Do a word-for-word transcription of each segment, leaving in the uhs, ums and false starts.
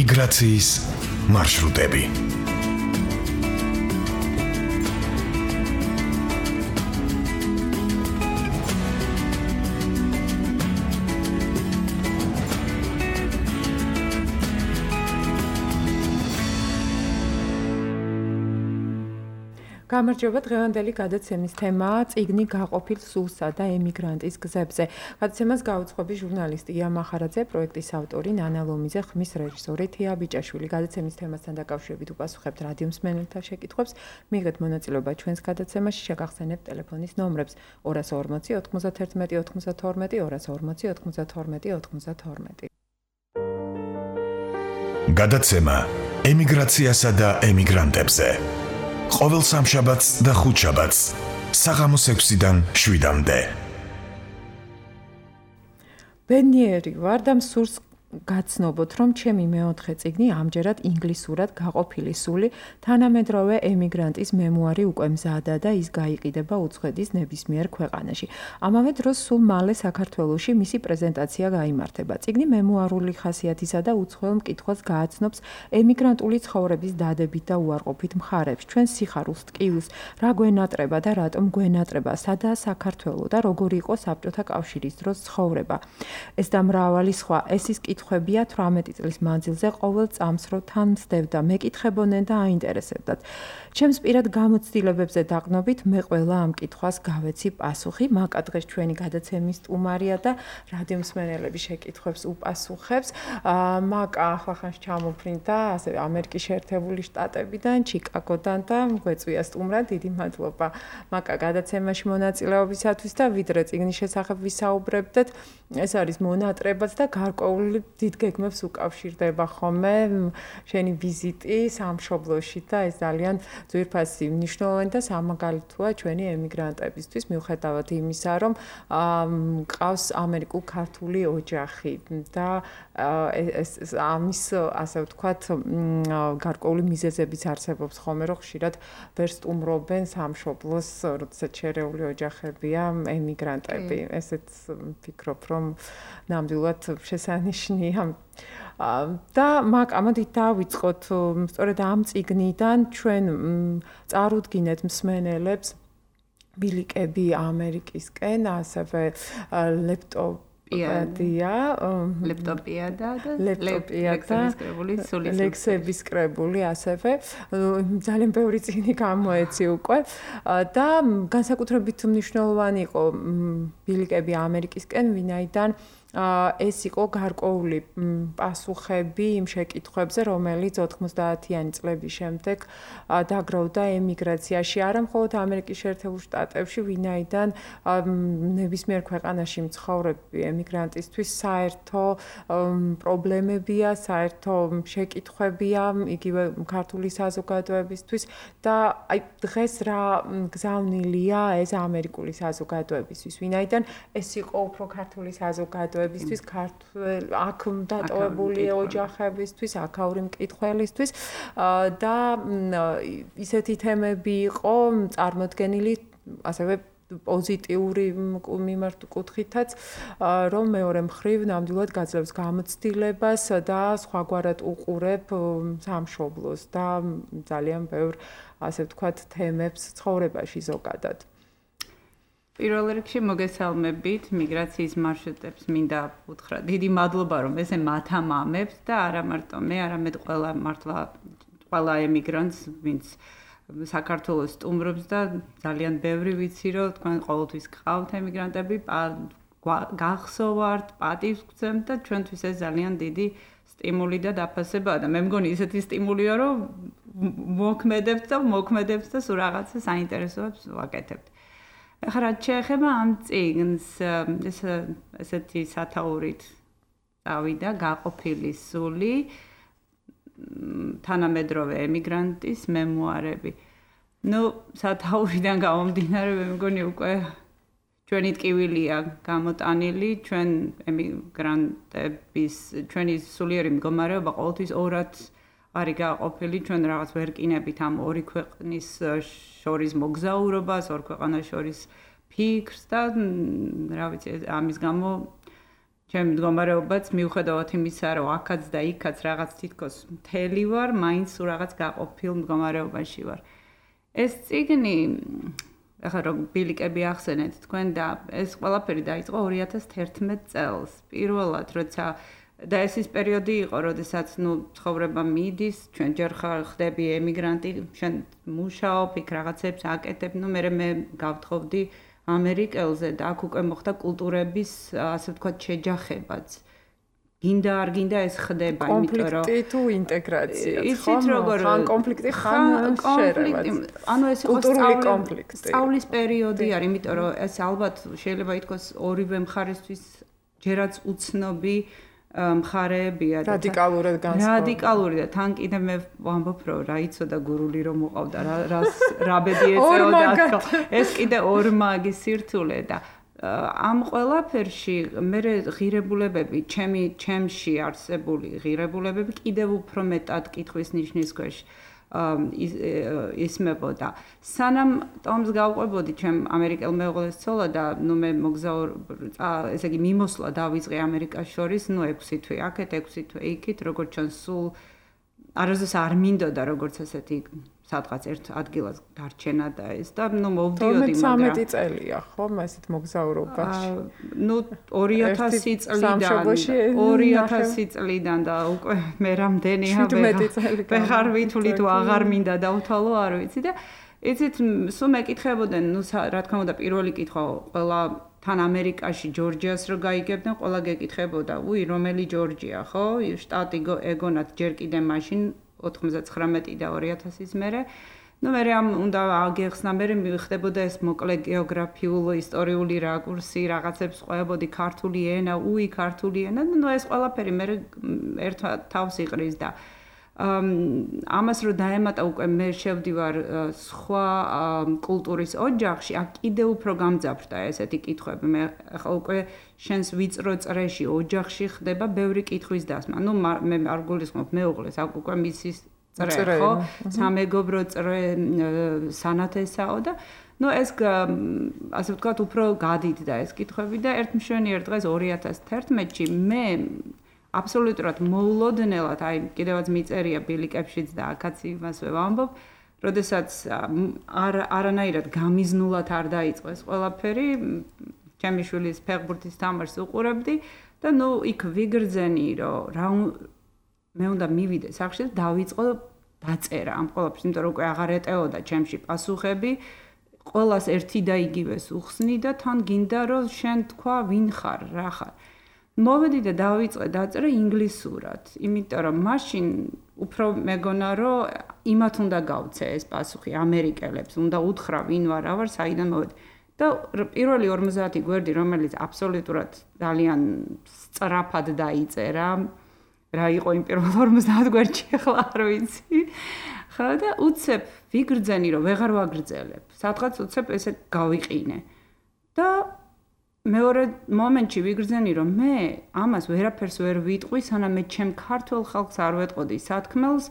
ემიგრაციის მარშრუტები. გამარჯობა, დღევანდელი გადაცემის თემაა წიგნი გაყოფილ სულსა და ემიგრანტის გზებზე. გადაცემას გაუძღვები ჟურნალისტი ია მახარაძე, პროექტის ავტორი ნანა ლომიძე, ხმის რეჟისორი თია ბიჭაშვილი. გადაცემის თემასთან დაკავშირებით უპასუხებთ რადიო მსმენელთა შეკითხვებს. მიიღეთ მონაწილეობა ჩვენს გადაცემაში, შეგახსენებთ ტელეფონის ნომრებს ორას ორმოცი ოთხმოცდათერთმეტი ოთხმოცდათორმეტი ორას ორმოცი ოთხმოცდათორმეტი ოთხმოცდათორმეტი. გადაცემა ემიგრაციასა და ემიგრანტებზე. ყოველ სამშაბათს და ხუთშაბათს საღამოს ექვსიდან შვიდამდე. ბედნიერი ვარ და მსურს გაცნობოთ, რომ ჩემი მეოთხე წიგნი ამჯერად ინგლისურად გაყოფილი სული თანამედროვე ემიგრანტის მემუარი უკვე მზადა და ის გაიყიდება უცხოეთის ნებისმიერ ქვეყანაში. ამავე დროს სულ მალე საქართველოში მისი პრეზენტაცია გაიმართება. წიგნი მემუარული ხასიათისა და უცხოელ მკითხვას გააცნობს ემიგრანტული ცხოვრების დადებით და უარყოფით მხარებს, ჩვენ სიხარულს, ტკივილს, რა გვენატრება და რატომ გვენატრება, სადაა საქართველო და როგორი იყო საბჭოთა კავშირის დროს ცხოვრება. ეს და მრავალი სხვა, ეს ის კითხვებია თვრამეტი წლის მანძილზე ყოველ წამს რო თან მსდევდა, მეკითხებოდნენ და აინტერესებდათ. ჩემს პირად გამოცდილებებზე დაყნობით მე ყველა ამ კითხვას გავეცი პასუხი. მაკა დღეს ჩვენი გადაცემის სტუმარია და რადიო მსმენელების შეკითხვებს უპასუხებს. მაკა ახლახანს ჩამოფრინდა ასე ამერიკის შეერთებული შტატებიდან, ჩიკაგოდან და გვეწვია სტუმრად. დიდი მადლობა მაკა გადაცემაში მონაწილეობისათვის და ვიდრე წიგნის შესახებ ვისაუბრებდეთ, ეს არის მონატრებაც და გარკვეული დიდ გეგმებს უკავშირდება ხოლმე შენი ვიზიტი სამშობლოში და ეს ძალიან ძვირფასი მნიშვნელოვანი და სამაგალითოა ჩვენი ემიგრანტებისთვის, მიუხედავად იმისა, რომ მყავს ამერიკულ-ქართული ოჯახი და ეს ამის ასე ვთქვათ გარკვეული მიზეზებიც არსებობს ხოლმე, რომ ხშირად ვერ სტუმრობენ სამშობლოს, როდესაც შერეული ოჯახებია ემიგრანტები. ესეც ვფიქრობ, რომ ნამდვილად შესანიშნია. და მაგ ამოდით დავიწყოთ სწორედ ამ წიგნიდან ჩვენ წარუდგინეთ მსმენელებს ბილიკები ამერიკისკენ, ასევე ლეპტოპ პიადია, ლეპტოპიადა და ლეპტოპიადა, ლექსების ლექსების კრებული, ასევე ძალიან ბევრი წიგნი გამოეცი უკვე და განსაკუთრებით მნიშვნელოვანი იყო ბილიკები ამერიკისკენ, ვინაიდან ეს იყო გარკვეული პასუხები იმ შეკითხვებზე, რომელიც ოთხმოცდაათიანი წლების შემდეგ დაგროვდა ემიგრაციაში, არა მხოლოდ ამერიკის შეერთებულ შტატებში, ვინაიდან ნებისმიერ ქვეყანაში მცხოვრები ემიგრანტისთვის საერთო პრობლემებია, საერთო შეკითხვებია, იგივე ქართული საზოგადოებისთვის და აი დღეს რა გზავნილია ეს ამერიკული საზოგადოებისთვის, ვინაიდან ეს იყო უფრო ქართული საზოგადოება ბისთვის ქართულ აქ დატოვებული ოჯახებისთვის, აქაური მკითხველისთვის და ისეთი თემები იყო წარმოდგენილი ასევე პოზიტიური მიმართ კუთხითაც, რომ მეორე მხრივ ნამდვილად გაძლევს გამოცდილებას და სხვაგვარად უყურებ სამშობლოს და ძალიან ბევრ ასე ვთქვათ თემებს ცხოვრებაში ზოგადად. პირველ რიგში მოგესალმებით მიგრაციის მარშრუტებს მინდა უთხრა. დიდი მადლობა რომ ესე მათამამებთ და არა მარტო მე, არამედ ყველა მართლა ყველა ემიგრანტს, ვინც საქართველოს სტუმრობს და ძალიან ბევრი ვიცი რომ თქვენ ყოველთვის გყავთ ემიგრანტები, გახსოვართ, პატივს გცემთ და ჩვენთვის ეს ძალიან დიდი სტიმული და დაფასებაა და მე მგონი ისეთი სტიმულია რომ მოქმედებთ და მოქმედებთ და სულ რაღაცა საინტერესოებს ვაკეთებთ. ახლა რაც შეეხება ამ წიგნს, ეს ესეთი სათაურით წავიდა გაყოფილი სული თანამედროვე ემიგრანტის მემუარები. ნუ სათაურიდან გამომდინარე, მე მგონი უკვე ჩვენი ტკივილია გამოტანილი, ჩვენ ემიგრანტების ჩვენი სულიერი მდგომარეობა ყოველთვის ორად არის გაყოფილი, ჩვენ რაღაც ვერ კინებით ამ ორი ქვეყნის შორის მოგზაურობას, ორ ქვეყანას შორის ფიქრს და რა ვიცი, ამის გამო ჩემ მდგომარეობაც მიუხედავად იმისა, რომ აქაც და იქაც რაღაც თითქოს მთელი ვარ, მაინც რაღაც გაყოფილ მდგომარეობაში ვარ. ეს წიგნი ახლა რომ ბილიკები ახსენეთ თქვენ და ეს ყველაფერი დაიწყო ორი ათას თერთმეტ წელს. პირველად, როცა და ეს ის პერიოდი იყო, როდესაც ნუ ცხოვრება მიდის, ჩვენ ჯერ ხდები ემიგრანტი, შენ მუშაობ, იქ რაღაცებს აკეთებ, ნუ მე მე გავთხოვდი ამერიკელზე და აქ უკვე მოხდა კულტურების, ასე ვთქვათ, შეჯახებაც. გინდა არ გინდა ეს ხდება, იმიტომ რომ კონფლიქტი თუ ინტეგრაცია, იცით როგორ ხან კონფლიქტი ხან შერევა. ანუ ეს იყო კულტურული კონფლიქტი. სწავლის პერიოდი არის, იმიტომ რომ ეს ალბათ შეიძლება ითქვას ორივე მხარისთვის ჯერაც უცნობი მხარეებია და რადიკალურად განსხვავებული. რადიკალური და თან კიდე მე ვამბობ რომ რა იცოდა გურული რომ მოყავდა რა რას რაბედი ეწეოდა თქო. ეს კიდე ორმაგი სირთულე და ამ ყველაფერში მე ღირებულებები, ჩემი ჩემში არსებული ღირებულებები კიდევ უფრო მეტად კითხვის ნიშნის ქვეშ ისმებოდა. სანამ ტომს გავყვებოდი ჩემ ამერიკელ მეუღლეს ცოლა და ნუ მე მოგზაურ ესე იგი მიმოსვლა დავიწყე ამერიკას შორის, ნუ ექვსი თვე აქეთ, ექვსი თვე იქით, როგორც ჩვენ სულ არასდროს არ მინდოდა როგორც ესეთი სადღაც ერთ ადგილას დარჩენა და ეს და ნუ მოვდიოდი მაგრამ თორმეტ წელია ხო ესეთ მოგზაურობაში. ნუ ორი ათასი წლიდან ორი ათასი წლიდან და უკვე მე რამდენი ვეღარ ვითვლი თუ აღარ მინდა დავთვალო არ ვიცი და იცით სულ მეკითხებოდნენ ნუ რა თქმა უნდა პირველი კითხვა ყველა თან ამერიკაში ჯორჯიას რო გაიგებდნენ ყველა გეკითხებოდა უი რომელი ჯორჯია ხო შტატი ეგონათ ჯერ კიდე მაშინ ოთხმოცდათხრამეტი და ორი ათასის მერე. ნუ მე ამ უნდა აგეხსნა მე მიხდებოდა ეს მოკლე გეოგრაფიული, ისტორიული რაკურსი, რაღაცებს ყვებოდი ქართული ენა, უი ქართული ენა. ნუ ეს ყველაფერი მე ერთ თავს იყრის და ამას რო დაემატა უკვე მე შევდივარ სხვა კულტურის ოჯახში, აქ კიდე უფრო გამძაფრდა ესეთი კითხვები. მე ახლა უკვე შენს ვიწრო წრეში ოჯახში ხდება ბევრი კითხვის დასმა. ნუ მე არ გულისხმობ მეუღლეს, აქ უკვე მისის წრე ხო? სამეგობრო წრე სანათესაო და ნუ ეს ასე ვთქვათ უფრო გადიდდა ეს კითხვები და ერთ მშვენიერ დღეს ორი ათას თერთმეტში მე აბსოლუტურად მოულოდნელად, აი კიდევაც მიწერია ბილიკებშიც და აქაც იმასვე ვამბობ, როდესაც არ არანაირად გამიზნულად არ დაიწყო ეს ყველაფერი, ჩემი შვილის ფეხბურთის თამაშს უყურებდი და ნუ იქ ვიგრძენი, რომ რა მე უნდა მივიდე სახლში და დავიწყო დაწერა ამ ყველაფერს, იმიტომ რომ უკვე აღარ ეტეოდა ჩემში პასუხები, ყველას ერთი და იგივეს უხსნი და თან გინდა რომ შენ თქვა ვინ ხარ, რა ხარ. მოვედი და დავიწყე დაწერა ინგლისურად, იმიტომ რომ მაშინ უფრო მეგონა რომ იმათ უნდა გავცე ეს პასუხი ამერიკელებს, უნდა უთხრა ვინ ვარ, რა ვარ, საიდან მოვედი. და პირველი ორმოცდაათი გვერდი, რომელიც აბსოლუტურად ძალიან სწრაფად დაიწერა, რა იყო იმ პირველ ორმოცდაათ გვერდში, ახლა არ ვიცი. ხო და უცებ ვიგრძენი რომ ვეღარ ვაგრძელებ. სადღაც უცებ ესე გავიყინე. და მეორე მომენტში ვიგრძენი რომ მე ამას ვერაფერს ვერ ვიტყვი, სანამ მე ჩემ ქართულ ხალხს არ ვეტყოდი სათქმელს,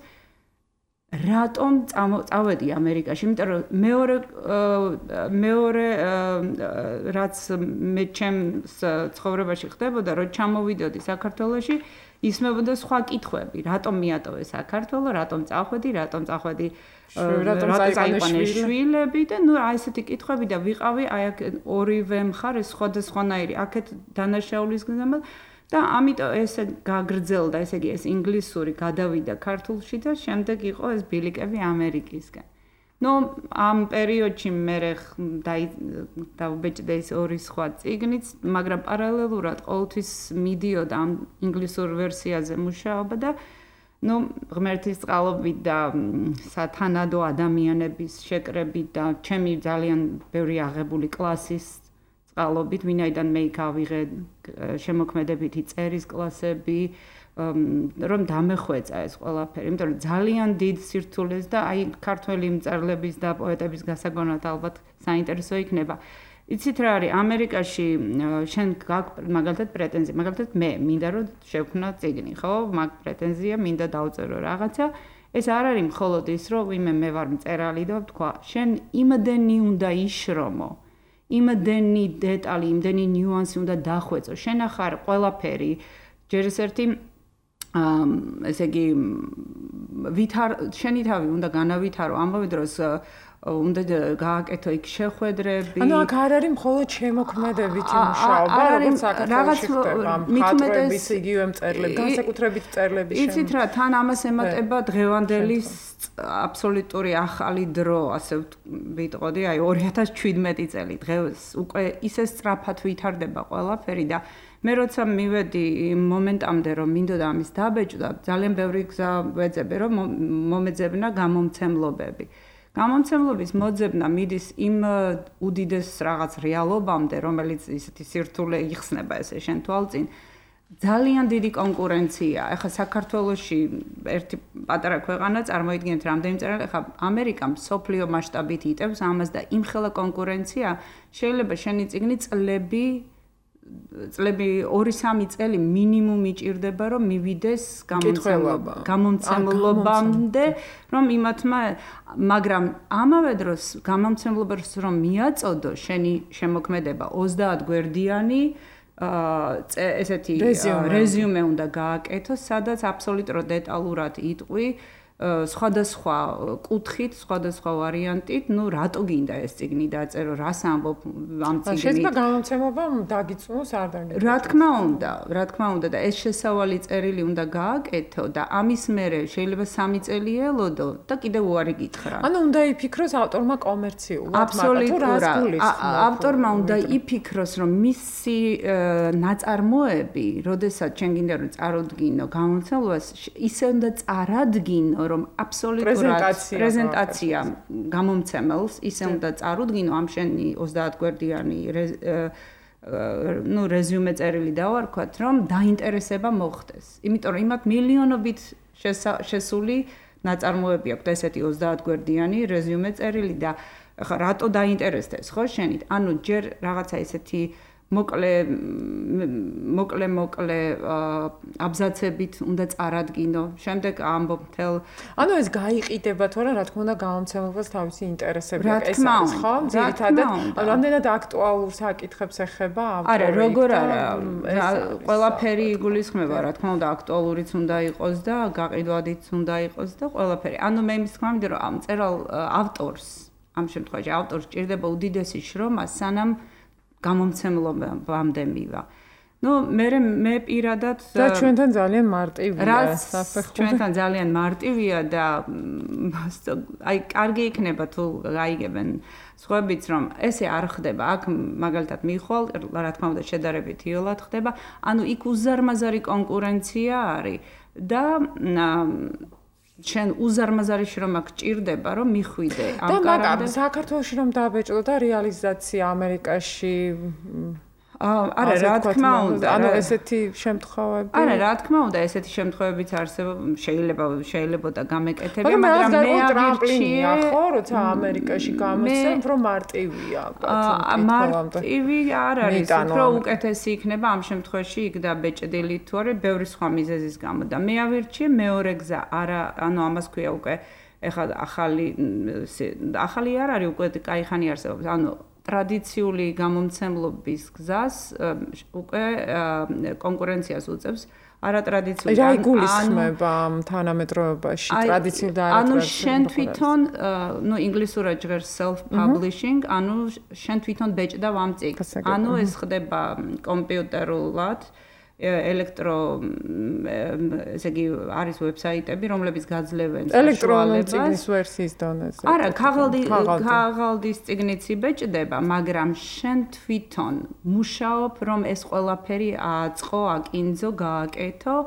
რატომ წავედი ამერიკაში, იმიტომ რომ მეორე მეორე რაც მე ჩემს ცხოვრებაში ხდებოდა, რომ ჩამოვიდოდი საქართველოში, ისმებოდა სხვა კითხვები, რატომ მიატოვე საქართველო, რატომ წახვედი, რატომ წახვედი რატომ წაიყვანე შვილები და ნუ აი ესეთი კითხვები და ვიყავი აი აქ ორივე მხარეს სხვადასხვანაირი აქეთ დანაშაულის გზამა და ამიტომ ესე გაგრძელდა, ესე იგი ეს ინგლისური გადავიდა ქართულში და შემდეგ იყო ეს ბილიკები ამერიკისგან. ნუ ამ პერიოდში მე დავბეჭდე ეს ორი სხვა წიგნიც, მაგრამ პარალელურად ყოველთვის მიდიოდა ამ ინგლისურ ვერსიაზე მუშაობა და ნუ ღმერთის წყალობით და სათანადო ადამიანების შეკრებით და ჩემი ძალიან ბევრი აღებული კლასის წყალობით, ვინაიდან მე იქ ავიღე შემოქმედებითი წერის კლასები, რომ დამეხვეწა ეს ყველაფერი, იმიტომ რომ ძალიან დიდ სირთულეს და აი ქართველი მწერლების და პოეტების გასაგონად ალბათ საინტერესო იქნება. იცით რა არის ამერიკაში შენ გაქვს მაგალითად პრეტენზია, მაგალითად მე მინდა რომ შევქმნა წიგნი, ხო? მაგ პრეტენზია მინდა დავწერო რაღაცა. ეს არ არის მხოლოდ ის, რომ ვიმე მე ვარ მწერალი და ვთქვა, შენ იმდენი უნდა იშრომო. იმდენი დეტალი, იმდენი ნიუანსი უნდა დახვეწო. შენ ახარ ყველაფერი ჯერ ეს ერთი ესე იგი ვითარ შენი თავი უნდა განავითარო ამავე დროს უნდა გააკეთო იქ შეხვედრები. ანუ აქ არ არის მხოლოდ შემოქმედებითი მუშაობა, როგორც საქართველოში ხდება, მხატვრების იგივე მწერლები, განსაკუთრებით მწერლები შემო. იცით რა, თან ამას ემატება დღევანდელი აბსოლუტური ახალი დრო, ასე ვიტყოდი, აი ორი ათას შვიდმეტი წელი დღეს უკვე ისე სწრაფად ვითარდება ყველაფერი და მე როცა მივედი იმ მომენტამდე რომ მინდოდა ამის დაბეჭდა, ძალიან ბევრი გზა ვეძებე რომ მომეძებნა გამომცემლობები. გამომცემლობის მოძებნა მიდის იმ უდიდეს რაღაც რეალობამდე, რომელიც ისეთი სირთულე იხსნება ესე შენ თვალწინ. ძალიან დიდი კონკურენცია. ეხლა საქართველოში ერთი პატარა ქვეყანა წარმოიდგინეთ რამდენი მწერალი, ეხლა ამერიკა მსოფლიო მასშტაბით იტევს ამას და იმხელა კონკურენცია, შეიძლება შენი წიგნი წლები წლები ორი სამი წელი მინიმუმ იჭირდება რომ მივიდეს გამომცემლობამდე რომ იმათმა მაგრამ ამავე დროს გამომცემლობას რომ მიაწოდო შენი შემოქმედება ოცდაათ გვერდიანი ესეთი რეზიუმე უნდა გააკეთო სადაც აბსოლუტურად დეტალურად იტყვი სხვადასხვა კუთხით, სხვადასხვა ვარიანტით, ну, რატო გინდა ეს წიგნი დაწერო, რას ამბობ ამ წიგნით? შეიძლება გამომცემლობამ დაგიწუნოს არ დაგიწუნოს. რა თქმა უნდა, რა თქმა უნდა და ეს შესავალი წერილი უნდა გააკეთო და ამის მერე შეიძლება სამი წელი ელოდო და კიდევ უარი გითხრა. ანუ უნდა იფიქროს ავტორმა კომერციულად, აბსოლუტურად. ავტორმა უნდა იფიქროს, რომ მისი ნაწარმოები, როდესაც ჩვენ გინდა რომ წარუდგინო გამომცემლობას, ისე უნდა წარადგინო რომ აბსოლუტურად პრეზენტაცია გამომცემელს ისე უნდა წარუდგინო ამ შენი ოცდაათ გვერდიანი ну რეზიუმე წერილი დავარქვათ რომ დაინტერესება მოხდეს. იმიტომ რომ იმათ მილიონობით შესული ნაწარმოები აქვს ესეთი ოცდაათ გვერდიანი რეზიუმე წერილი და ხა რატო დაინტერესდეს ხო შენით? ანუ ჯერ რაღაცა ესეთი მოკლე მოკლე მოკლე აბზაცებით უნდა წარადგინო. შემდეგ ამბობ თელ ანუ ეს გაიყიდება თორე რა თქმა უნდა გამომცემლობას თავისი ინტერესები აქვს ეს არის ხო? ძირითადად რამდენად აქტუალურ საკითხებს ეხება ავტორი. არა, როგორ არა. ყველაფერი იგულისხმება, რა თქმა უნდა, აქტუალურიც უნდა იყოს და გაყიდვადიც უნდა იყოს და ყველაფერი. ანუ მე იმის თქმა მინდა რომ ამ წერალ ავტორს, ამ შემთხვევაში ავტორს ჭირდება უდიდესი შრომა, სანამ გამომცემლობამდე მივა. Ну, მე მე პირადად და ჩვენთან ძალიან მარტივია საფეხური. ჩვენთან ძალიან მარტივია და აი კარგი იქნება თუ გაიგებენ სხვაებიც რომ ესე არ ხდება. აქ მაგალითად მიხვალ, რა თქმა უნდა შედარებით იოლად ხდება. ანუ იქ უზარმაზარი კონკურენცია არის და შენ უზარმაზარი შრომა გჭირდება რომ მიხვიდე ამ კარამდე. და საქართველოში რომ დაბეჭდო და რეალიზაცია ამერიკაში არა რა თქმა უნდა ანუ ესეთი შემთხვევები არა რა თქმა უნდა ესეთი შემთხვევებიც არსებობს შეიძლება შეიძლება და გამეკეთებია მაგრამ მე ტრამპლინია ხო როცა ამერიკაში გამოსცემ რომ მარტივია მარტივი არ არის უფრო უკეთესი იქნება ამ შემთხვევაში იქ დაბეჭდილი თუ არა ბევრი სხვა მიზეზის გამო და მე ავირჩიე მეორე გზა არა ანუ ამას ქვია უკვე ეხლა ახალი ახალი არ არის უკვე კაი ხანი არსებობს ანუ ტრადიციული გამომცემლობის გზას უკვე კონკურენციას უწევს არატრადიციული რა იგულისხმება თანამედროვეობაში ტრადიციულ და ანუ შენ თვითონ ნუ ინგლისურად ჟღერს self publishing ანუ შენ თვითონ ბეჭდა ამ წიგნს ანუ ეს ხდება კომპიუტერულად ელექტრო ესე იგი არის ვებსაიტები რომლებიც გაძლევენ ელექტრონული წიგნის ვერსიის დონეზე არა ქაღალდი ქაღალდის წიგნიც იბეჭდება მაგრამ შენ თვითონ მუშაობ რომ ეს ყველაფერი აწყო აკინძო გააკეთო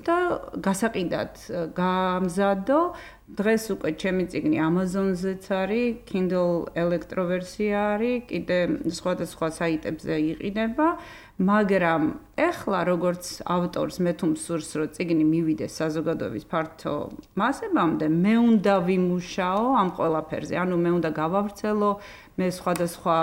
და გასაყიდად გამზადო დღეს უკვე ჩემი წიგნი Amazon-ზეც არის Kindle ელექტროვერსია არის კიდე სხვადასხვა საიტებზე იყიდება მაგრამ ეხლა როგორც ავტორს მე თუ მსურს რომ წიგნი მივიდეს საზოგადოების ფართო მასებამდე მე უნდა ვიმუშაო ამ ყველაფერზე ანუ მე უნდა გავავრცელო მე სხვადასხვა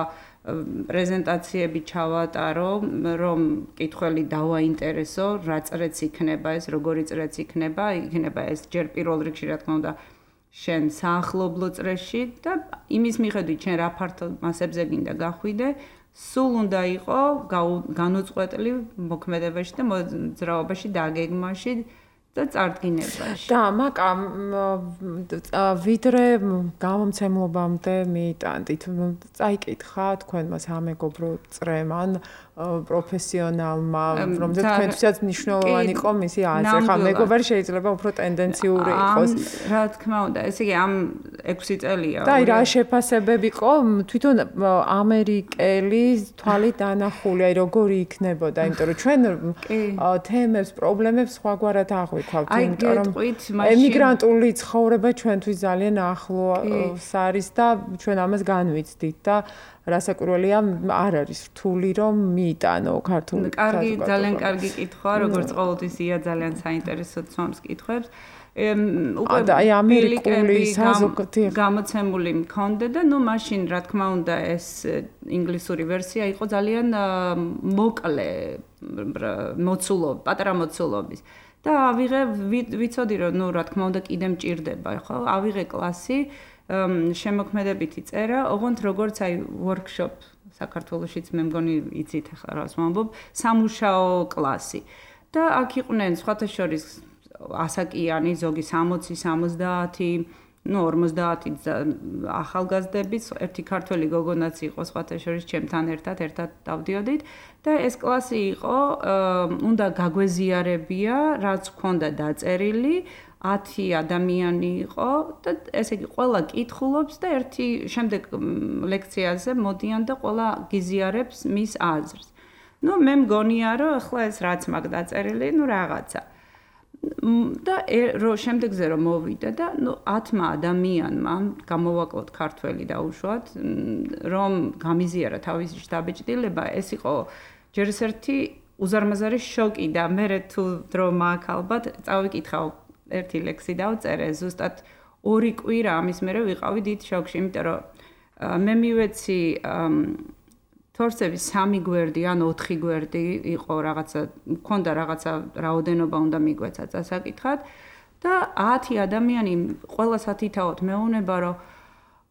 პრეზენტაციები ჩავატარო რომ კითხველი დავაინტერესო რა წრეც იქნება ეს როგორი წრეც იქნება იქნება ეს ჯერ პირველ რიგში რა თქმა უნდა შენ საახლობლო წრეში და იმის მიხედვით შენ რა ფართო მასებზე გინდა გახვიდე, სულ უნდა იყო განუწყვეტლი მოქმედებაში და მოძრაობაში და გეგმაში და წარდგინებაში. და მაკა ვიდრე გამომცემლობამდე მიიტანდით, წაიკითხა თქვენმა სამეგობრო წრემ ან პროფესიონალმა, რომელზეც თქვენთვისაც მნიშვნელოვანი იყო მისი აზრი. ხა მეგობარი შეიძლება უფრო ტენდენციური იყოს. რა თქმა უნდა, ესე იგი ამ ექვსი წელია. და აი რა შეფასებები იყო თვითონ ამერიკელი თვალით დანახული, აი როგორი იქნებოდა, იმიტომ რომ ჩვენ თემებს, პრობლემებს სხვაგვარად აღვიქვავთ, იმიტომ რომ ემიგრანტული ცხოვრება ჩვენთვის ძალიან ახლოს არის და ჩვენ ამას განვიცდით და რასაკვირველია არ არის რთული რომ მიიტანო ქართული კარგი ძალიან კარგი კითხვაა როგორც ყოველთვის ია ძალიან საინტერესო ცნობს კითხვებს უკვე აი ამერიკული საზოგადოებრივი გამოცემული მქონდა და ნუ მაშინ რა თქმა უნდა ეს ინგლისური ვერსია იყო ძალიან მოკლე მოცულობ პატარა მოცულობის და ავიღე ვიცოდი რომ ნუ რა თქმა უნდა კიდე მჭირდება ხო ავიღე კლასი შემოქმედებითი წერა, ოღონდ როგორც აი workshop საქართველოშიც მე მგონი იცით ახლა რას ვამბობ, სამუშაო კლასი. და აქ იყვნენ სხვათა შორის ასაკიანი, ზოგი სამოცი, სამოცდაათი, ნუ ორმოცდაათი ახალგაზრდები, ერთი ქართველი გოგონაც იყო სხვათა შორის ჩემთან ერთად, ერთად დავდიოდით და ეს კლასი იყო, უნდა გაგვეზიარებია, რაც გქონდა დაწერილი ათი ადამიანი იყო და ესე იგი ყველა კითხულობს და ერთი შემდეგ ლექციაზე მოდიან და ყველა გიზიარებს მის აზრს. ნუ მე მგონია რომ ახლა ეს რაც მაგ დაწერილი, ნუ რაღაცა. და რო შემდეგზე რომ მოვიდა და ნუ ათმა ადამიანმა გამოვაკლოთ ქართველი დაუშვათ, რომ გამიზიარა თავისი შთაბეჭდილება, ეს იყო ჯერ ერთი უზარმაზარი შოკი და მე თუ დრო მაქვს ალბათ წავიკითხავ ერთი ლექსი დავწერე ზუსტად ორი კვირა ამის მერე ვიყავი დიდ შოკში, იმიტომ რომ მე მივეცი თორსების სამი გვერდი ან ოთხი გვერდი იყო რაღაცა, მქონდა რაღაცა რაოდენობა უნდა მიგვეცა წასაკითხად და ათი ადამიანი ყველას ათითაოთ მეუნება რომ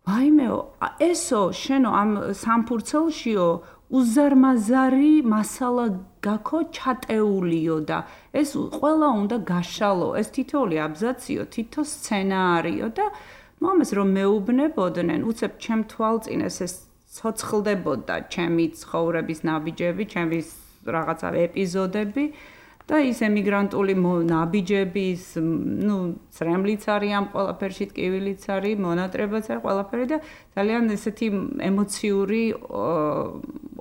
ვაიმეო, ესო შენო ამ სამფურცელშიო უზარმაზარი მასალა გაქო ჩატეულიო და ეს ყველა უნდა გაშალო, ეს თითოეული აბზაციო, თითო სცენარიო და მომეს რომ მეუბნებოდნენ, უცებ ჩემ თვალწინეს ეს ცოცხლდებოდა ჩემი ცხოვრების ნაბიჯები, ჩემი რაღაცა ეპიზოდები და ის ემიგრანტული ნაბიჯების, ნუ წრემლიც არის ამ ყველაფერში, ტკივილიც არის, მონატრებაც არის ყველაფერი და ძალიან ესეთი ემოციური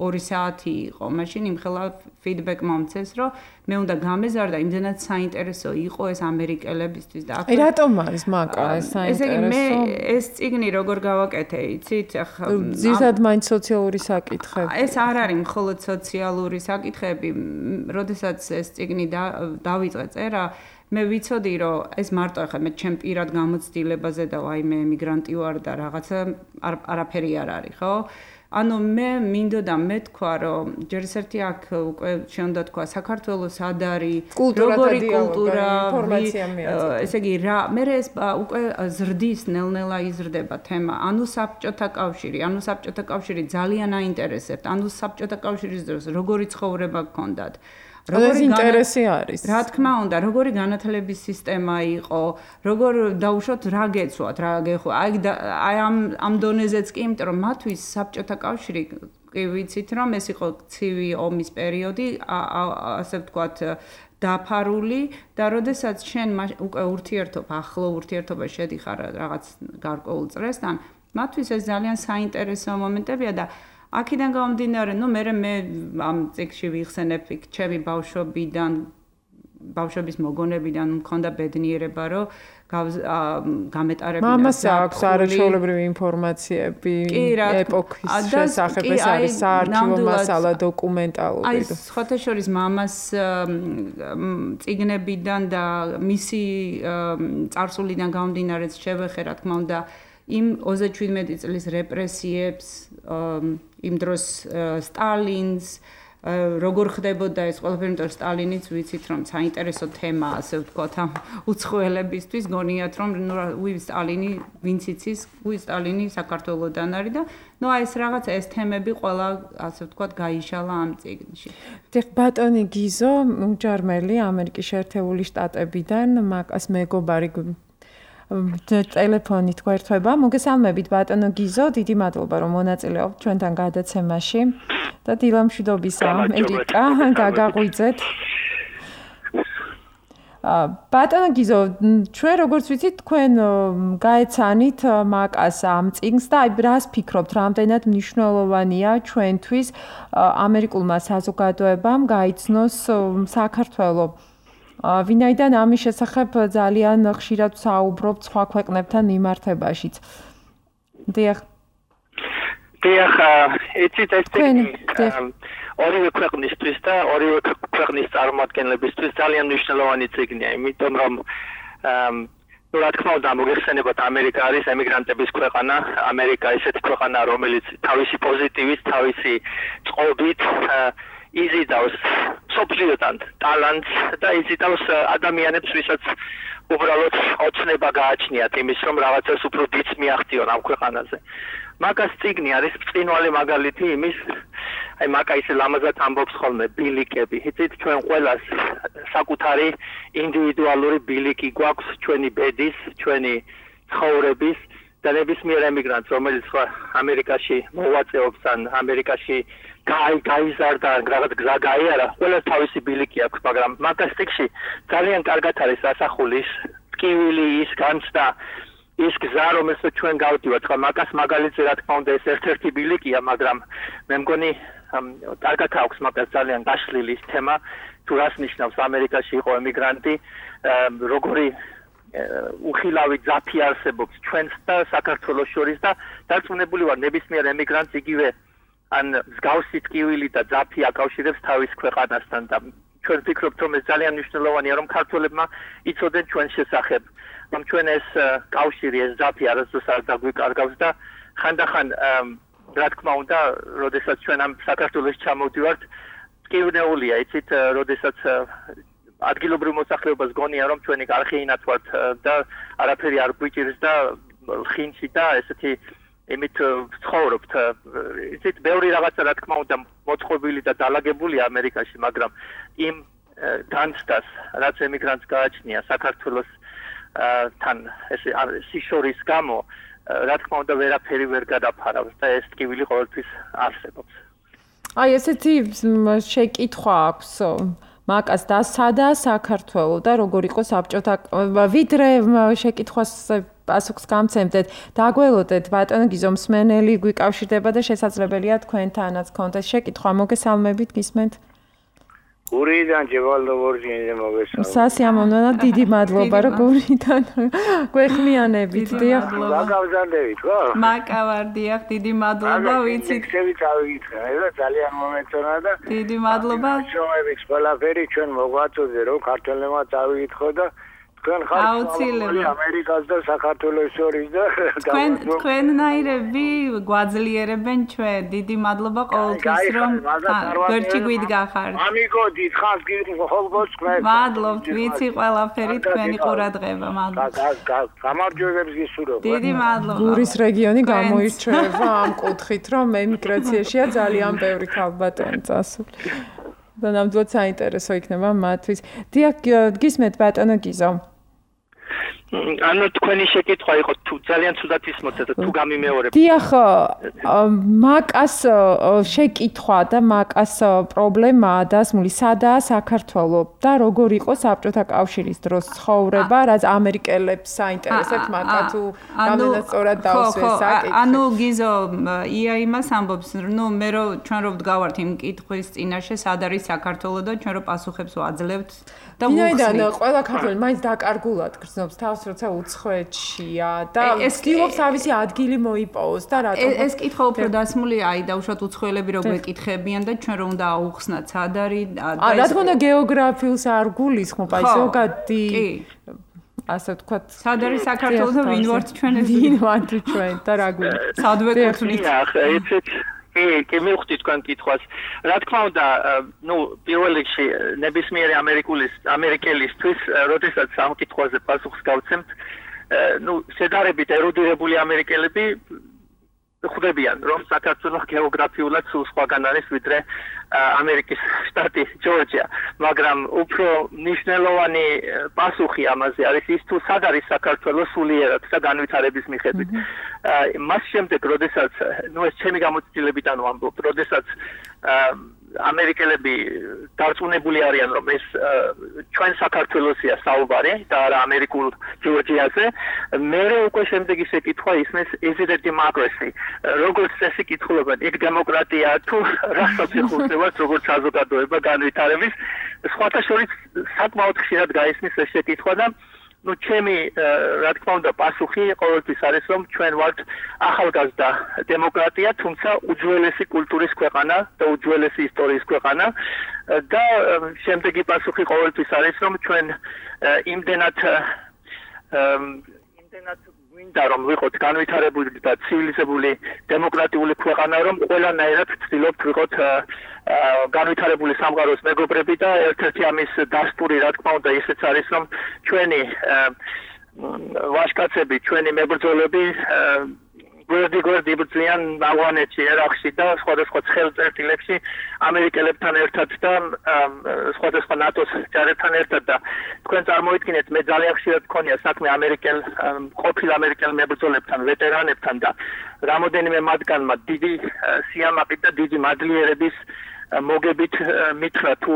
ორი საათი იყო. მაშინ იმხელა ფიდბექ მომცეს, რომ მე უნდა გამეზარდა, იმდენად საინტერესო იყო ეს ამერიკელებისთვის და აი რატომ არის მაკა ეს საინტერესო? ესე იგი მე ეს წიგნი როგორ გავაკეთე, იცით? ახლა ზუსტად მაინც სოციალური საკითხები. ეს არ არის მხოლოდ სოციალური საკითხები, როდესაც ეს წიგნი დავიწყე წერა, მე ვიცოდი რომ ეს მარტო ახლა მე ჩემ პირად გამოცდილებაზე და აი მე ემიგრანტი ვარ და რაღაცა არაფერი არ არის, ხო? ანუ მე მინდოდა მე თქვა რომ ჯერ ერთი აქ უკვე შეუნდა თქვა საქართველოს სად არის როგორი კულტურა ინფორმაცია მიაწოდე ესე იგი რა მე ეს უკვე ზრდის ნელ-ნელა იზრდება თემა ანუ საბჭოთა კავშირი ანუ საბჭოთა კავშირი ძალიან აინტერესებთ ანუ საბჭოთა კავშირის დროს როგორი ცხოვრება გქონდათ როგორი ინტერესი არის რა თქმა უნდა როგორი განათლების სისტემა იყო როგორ დაუშვათ რა გეცვათ რა გეხვა აი აი ამ ამ დონეზეც კი იმიტომ რომ მათთვის საბჭოთა კავშირი კი ვიცით რომ ეს იყო ცივი ომის პერიოდი ასე ვთქვათ დაფარული და როდესაც შენ უკვე ურთიერთობა ახლო ურთიერთობა შედიხარ რაღაც გარკვეულ წრესთან მათთვის ეს ძალიან საინტერესო მომენტებია და აქედან გამომდინარე, ნუ მე მე ამ წიგნში ვიხსენებ იქ ჩემი ბავშვობიდან, ბავშვობის მოგონებიდან მქონდა ბედნიერება, რომ გამეტარებინა მამას აქვს არაჩვეულებრივი ინფორმაციები ეპოქის შესახებ, ეს არის საარქივო მასალა დოკუმენტალური. აი, სხვათა შორის მამას წიგნებიდან და მისი წარსულიდან გამომდინარეც შევეხე, რა თქმა უნდა, იმ ოცდაშვიდმეტი წლის რეპრესიებს იმ დროს სტალინს როგორ ხდებოდა ეს ყველაფერი, იმიტომ რომ სტალინიც ვიცით რომ საინტერესო თემაა, ასე ვთქვათ, ამ უცხოელებისთვის, გონიათ რომ ნუ უი სტალინი ვინც იცის, უი სტალინი საქართველოსდან არის და ნუ აი ეს რაღაც ეს თემები ყველა ასე ვთქვათ გაიშალა ამ წიგნში. დიახ, ბატონი გიზო, უჯარმელი ამერიკის შეერთებული შტატებიდან, მაკას მეგობარი ტელეფონით გვერდება. მოგესალმებით ბატონო გიზო, დიდი მადლობა რომ მონაწილეობთ ჩვენთან გადაცემაში და დილამშვიდობისა ამერიკა გაგაღვიძეთ. ბატონო გიზო, ჩვენ როგორც ვიცით, თქვენ გაეცანით მაკას ამ წიგნს და აი რას ფიქრობთ, რამდენად მნიშვნელოვანია ჩვენთვის ამერიკულმა საზოგადოებამ გაიცნოს საქართველოს ვინაიდან ამის შესახებ ძალიან ხშირად საუბრობთ სხვა ქვეყნებთან მიმართებაშიც. დიახ. დიახ, იცით ეს ტექნი ორივე ქვეყნისთვის და ორივე ქვეყნის წარმომადგენლებისთვის ძალიან მნიშვნელოვანი წიგნია, იმიტომ რომ ნუ რა თქმა უნდა მოგეხსენებათ ამერიკა არის ემიგრანტების ქვეყანა, ამერიკა ისეთი ქვეყანა, რომელიც თავისი პოზიტივით, თავისი წყობით იზიდავს სოფლიოდან ტალანტს და იზიდავს ადამიანებს, ვისაც უბრალოდ ოცნება გააჩნიათ იმის, რომ რაღაცას უფრო დიდს მიაღწიონ ამ ქვეყანაზე. მაკას წიგნი არის ბრწყინვალე მაგალითი იმის, აი მაკა ისე ლამაზად ამბობს ხოლმე ბილიკები. იცით, ჩვენ ყველას საკუთარი ინდივიდუალური ბილიკი გვაქვს ჩვენი ბედის, ჩვენი ცხოვრების და ნებისმიერ ემიგრანტს, რომელიც ამერიკაში მოვაწეობს ან ამერიკაში გაი გაიზარდა რაღაც გზა გაიარა, ყველას თავისი ბილიკი აქვს, მაგრამ მაკას წიგნში ძალიან კარგად არის ასახული ის ტკივილი, ის განცდა, ის გზა, რომელსაც ჩვენ გავდივართ. ხო, მაკას მაგალითზე რა თქმა უნდა ეს ერთ-ერთი ბილიკია, მაგრამ მე მგონი კარგად აქვს მაკას ძალიან გაშლილი ის თემა, თუ რას ნიშნავს ამერიკაში იყო ემიგრანტი, როგორი უხილავი ძაფი არსებობს ჩვენს და საქართველოს შორის და დარწმუნებული ვარ ნებისმიერ ემიგრანტს იგივე ან მსგავსი ტკივილი და ძაფი აკავშირებს თავის ქვეყანასთან და ჩვენ ვფიქრობთ რომ ეს ძალიან მნიშვნელოვანია რომ ქართველებმა იცოდნენ ჩვენს შესახებ რომ ჩვენ ეს კავშირი ეს ძაფი არასდროს არ დაგვიკარგავს და ხანდახან რა თქმა უნდა როდესაც ჩვენ ამ საქართველოს ჩამოვდივართ ტკივნეულია იცით როდესაც ადგილობრივ მოსახლეობას გონია რომ ჩვენი არხეინათ ვართ და არაფერი არ გვიჭირს და ხინში და ესეთი იმით ცხოვრობთ. იცით, ბევრი რაღაცა რა თქმა უნდა მოწყობილი და დალაგებულია ამერიკაში, მაგრამ იმ განცდას, რაც ემიგრანტს გააჩნია საქართველოს თან ეს სიშორის გამო, რა თქმა უნდა ვერაფერი ვერ გადაფარავს და ეს ტკივილი ყოველთვის არსებობს. აი ესეთი შეკითხვა აქვს მაკას და სადა საქართველო და როგორ იყო საბჭოთა ვიდრე შეკითხვას პასუხს გამცემდეთ დაგველოდეთ ბატონო გიზო მსმენელი გვიკავშირდება და შესაძლებელია თქვენთანაც კონტეს შეკითხვა მოგესალმებით გისმენთ გურიდან ჯევალდოვორჯინზე მოგესალმებით სასიამოვნო და დიდი მადლობა რომ გურიდან გვეხმიანებით დიახ გაგავზანდებით ხო მაკა ვარ დიახ დიდი მადლობა ვიცით ხევი წავიგიხრა და ძალიან მომეწონა და დიდი მადლობა შოების ყველაფერი ჩვენ მოგვაწოდე რომ ქართველებმა წავიგითხო და თქვენ ხართ ამერიკას და საქართველოს შორის და თქვენ თქვენნაირები გვაძლიერებენ ჩვენ დიდი მადლობა ყოველთვის რომ გერჩი გვიდგახართ ამიგო დიდხანს გიხოლბოს თქვენ მადლობთ ვიცი ყველაფერი თქვენი ყურადღება მადლობთ გამარჯვებებს გისურვებ დიდი მადლობა გურის რეგიონი გამოირჩევა ამ კუთხით რომ ემიგრაციაშია ძალიან ბევრი ქალბატონი წასული და ნამდვილად საინტერესო იქნება მათთვის დიახ გისმენთ ბატონო გიზო ანუ თქვენი შეკითხვა იყო თუ ძალიან ცუდად ისმოწეთ თუ გამიმეორებ. დიახ, მაკას შეკითხვა და მაკას პრობლემაა დასმული სადაა საქართველო და როგორ იყო საბჭოთა კავშირის დროს ცხოვრება, რაც ამერიკელებს საინტერესებს მაკა თუ რამდენად სწორად დაუსვეს საკითხი. ანუ გიზო ია იმას ამბობს, ნუ მე რო ჩვენ რო ვდგავართ იმ კითხვის წინაშე, სად არის საქართველო და ჩვენ რო პასუხებს ვაძლევთ და ვუხსნით. ვინაიდან ყველა ქართველი მაინც დაკარგულად გრძნობს თავს როცა უცხოეთშია და ცდილობს თავისი ადგილი მოიპოვოს და რატომ ეს კითხვა უფრო დასმულია აი დაუშვათ უცხოელები რო გვეკითხებიან და ჩვენ რო უნდა აუხსნათ სად არის და რა თქმა უნდა გეოგრაფიულს არ გულისხმობ აი ზოგადი ასე ვთქვათ სად არის საქართველო და ვინ ვართ ჩვენ ვინ ვართ ჩვენ და რა გვინდა სად ვეკუთვნით ახლა იცით კი, კი მივხვდი თქვენ კითხვას. რა თქმა უნდა, ნუ პირველ რიგში ნებისმიერი ამერიკულის ამერიკელისთვის, როდესაც ამ კითხვაზე პასუხს გავცემთ, ნუ შედარებით ერუდირებული ამერიკელები ხვდებიან, რომ საქართველოს გეოგრაფიულად სულ სხვაგან არის ვიდრე ამერიკის შტატი ჯორჯია, მაგრამ უფრო მნიშვნელოვანი პასუხი ამაზე არის ის თუ სად არის საქართველოს სულიერად და განვითარების მიხედვით. მას შემდეგ, როდესაც, ნუ ეს ჩემი გამოცდილებიდან ვამბობ, როდესაც ამერიკელები დარწმუნებული არიან, რომ ეს ჩვენ საქართველოსია საუბარი და არა ამერიკულ ჯორჯიაზე, მერე უკვე შემდეგი შეკითხვა ისმის is it a democracy? როგორც წესი კითხულობენ, იქ დემოკრატია თუ რასაც ეხურებათ, როგორც საზოგადოება განვითარების, სხვათა შორის საკმაოდ ხშირად გაისმის ეს შეკითხვა და ну ჩემი რა თქმა უნდა პასუხი ყოველთვის არის რომ ჩვენ ვართ ახალგაზრდა დემოკრატია, თუმცა უძველესი კულტურის ქვეყანა და უძველესი ისტორიის ქვეყანა და შემდეგი პასუხი ყოველთვის არის რომ ჩვენ იმდენად იმდენად გვინდა რომ ვიყოთ განვითარებული და ცივილიზებული დემოკრატიული ქვეყანა, რომ ყველანაირად ვცდილობთ ვიყოთ განვითარებული სამყაროს მეგობრები და ერთ-ერთი ამის დასტური რა თქმა უნდა ისეც არის რომ ჩვენი ვაჟკაცები, ჩვენი მებრძოლები გვერდი გვერდი იბრძვიან ავღანეთში, ერაყში და სხვადასხვა ცხელწერტილებში ამერიკელებთან ერთად და სხვადასხვა ნატოს ჯარებთან ერთად და თქვენ წარმოიდგინეთ, მე ძალიან ხშირად მქონია საქმე ამერიკელ ყოფილ ამერიკელ მებრძოლებთან, ვეტერანებთან და რამოდენიმე მათგანმა დიდი სიამაყით და დიდი მადლიერების მოგებით მითხრა თუ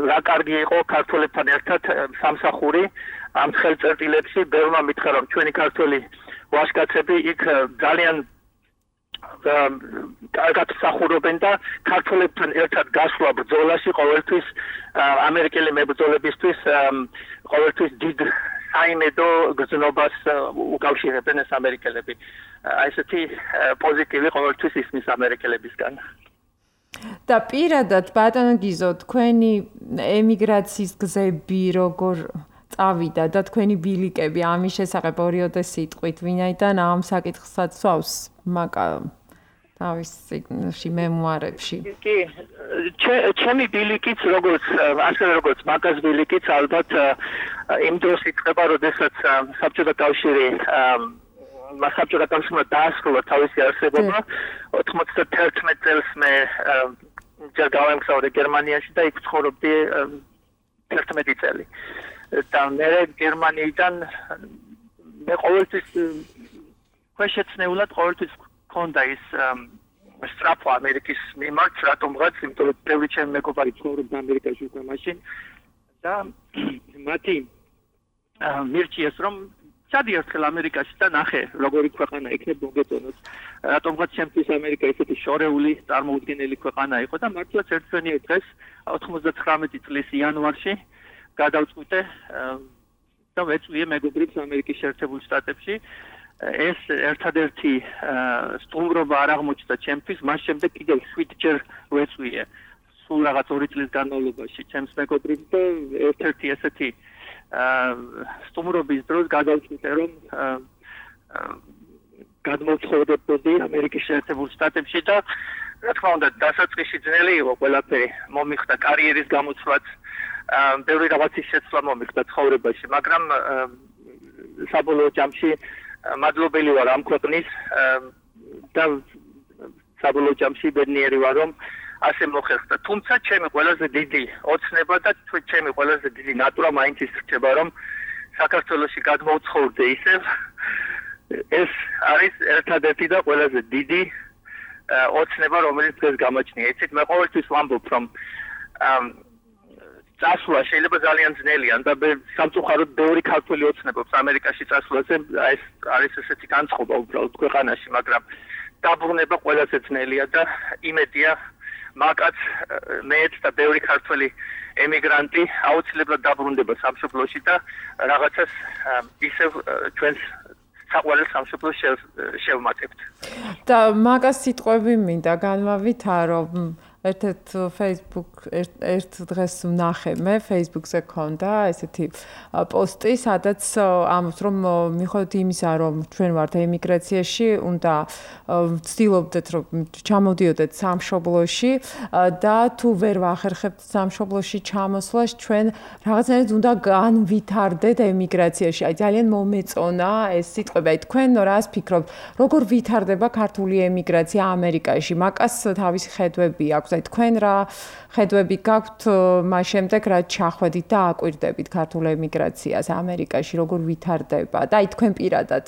რა კარგი იყო ქართველებთან ერთად სამსახური ამ ხელწერტილებში, ბევრმა მითხრა რომ ჩვენი ქართველი ვაჟკაცები იქ ძალიან კარგად მსახურობენ და ქართველებთან ერთად გასვლა ბრძოლაში ყოველთვის ამერიკელი მებრძოლებისთვის ყოველთვის დიდ საიმედო გზნობას უკავშირებენ ეს ამერიკელები. აი ესეთი პოზიტივი ყოველთვის ისმის ამერიკელებისგან. და პირადად ბატონო გიზო, თქვენი ემიგრაციის გზები როგორ წავიდა და თქვენი ბილიკები ამის შესახებ ორიოდე სიტყვით, ვინაიდან ამ საკითხსაც სვავს მაკა თავის წიგნში, მემუარებში. კი, ჩემი ბილიკიც როგორც ასევე როგორც მაკას ბილიკიც ალბათ იმ დროს იწყება, როდესაც საბჭოთა კავშირი საბჭოთა კავშირმა დაასრულა თავისი არსებობა, ოთხმოცდათერთმეტ წელს მე ჯერ გავემგზავრე გერმანიაში და იქ ვცხოვრობდი ერთმეტი წელი. და მე გერმანიიდან მე ყოველთვის ქვეშეცნეულად ყოველთვის მქონდა ის სწრაფვა ამერიკის მიმართ, რატომღაც, იმიტომ რომ ბევრი ჩემი მეგობარი ცხოვრობდა ამერიკაში უკვე მაშინ და მათი მირჩიეს რომ ჩადი ერთხელ ამერიკაში და ნახე როგორი ქვეყანა იქნებ მოგეწონოს. რატომღაც ჩემთვის ამერიკა ისეთი შორეული წარმოუდგენელი ქვეყანა იყო და მართლაც ერთვენიერ დღეს ოთხმოცდათხრამეტი წლის იანვარში გადავწყვიტე და ვეწვიე მეგობრებს ამერიკის შეერთებულ შტატებში. ეს ერთადერთი სტუმრობა არ აღმოჩნდა ჩემთვის, მას შემდეგ კიდევ შვიდჯერ ვეწვიე სულ რაღაც ორი წლის განმავლობაში ჩემს მეგობრებს და ერთ-ერთი ესეთი სტუმრობის დროს გადავწყვიტე რომ გადმოვცხოვრდებოდი ამერიკის შეერთებულ შტატებში და რა თქმა უნდა დასაწყისში ძნელი იყო ყველაფერი, მომიხდა კარიერის გამოცვლაც, ბევრი რაღაცის შეცვლა მომიხდა ცხოვრებაში, მაგრამ საბოლოო ჯამში მადლობელი ვარ ამ ქვეყნის და საბოლოო ჯამში ბედნიერი ვარ რომ ასე მოხერხდა. თუმცა ჩემი ყველაზე დიდი ოცნება და ჩემი ყველაზე დიდი ნატურა მაინც ის რჩება რომ საქართველოში გადმოვცხოვრდე ისევ. ეს არის ერთადერთი და ყველაზე დიდი ოცნება რომელიც დღეს გამაჩნია. იცით, მე ყოველთვის ვამბობ რომ წასვლა შეიძლება ძალიან ძნელია და სამწუხაროდ ბევრი ქართველი ოცნებობს ამერიკაში წასვლაზე, ეს არის ესეთი განწყობა უბრალოდ ქვეყანაში, მაგრამ დაბრუნება ყველაზე ძნელია და იმედია მაკაც მეც და ბევრი ქართველი ემიგრანტი აუცილებლად დაბრუნდება სამშობლოში და რაღაცას ისევ ჩვენს საყვარელ სამშობლოს შევმატებთ. და მაგას სიტყვები მინდა განვავითარო, ერთ-ერთ Facebook ერთ დღეს ვნახე მე Facebook-ზე ქონდა ესეთი პოსტი, სადაც ამბობს რომ მიხედვით იმისა, რომ ჩვენ ვართ ემიგრაციაში, უნდა ვცდილობდეთ რომ ჩამოდიოდეთ სამშობლოში და თუ ვერ ვახერხებთ სამშობლოში ჩამოსვლას, ჩვენ რაღაცნაირად უნდა განვითარდეთ ემიგრაციაში. აი ძალიან მომეწონა ეს სიტყვები. აი თქვენ რას ფიქრობთ, როგორ ვითარდება ქართული ემიგრაცია ამერიკაში? მაკას თავისი ხედვები აქვს. აი თქვენ რა ხედვები გაქვთ მას შემდეგ რა ჩახვედით და აკვირდებით ქართულ ემიგრაციას ამერიკაში, როგორ ვითარდება? და აი თქვენ პირადად